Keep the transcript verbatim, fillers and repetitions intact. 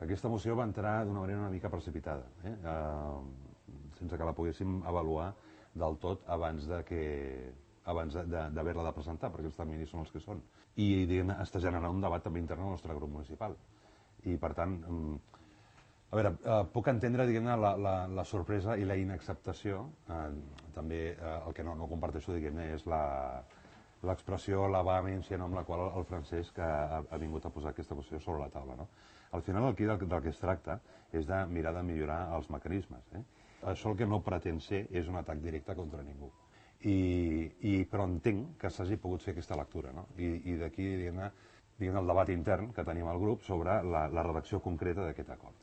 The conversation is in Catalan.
Aquesta moció va entrar d'una manera una mica precipitada, eh? Uh, sense que la poguéssim avaluar del tot abans de que abans d'haver-la de, de presentar, perquè els terminis són els que són. I diguem, està generant un debat també intern al nostre grup municipal. I per tant, a veure, eh, puc entendre diguem-ne la, la, la sorpresa i la inacceptació. Eh, també eh, el que no, no comparteixo diguem-ne és la l'expressió, la vehemència amb la qual el Francesc ha, ha vingut a posar aquesta qüestió sobre la taula. No? Al final aquí del, del que es tracta és de mirar de millorar els mecanismes. Eh? Això el que no pretén ser és un atac directe contra ningú. I, i, però entenc que s'hagi pogut fer aquesta lectura. No? I, i d'aquí diguem-ne diguem el debat intern que tenim al grup sobre la, la redacció concreta d'aquest acord.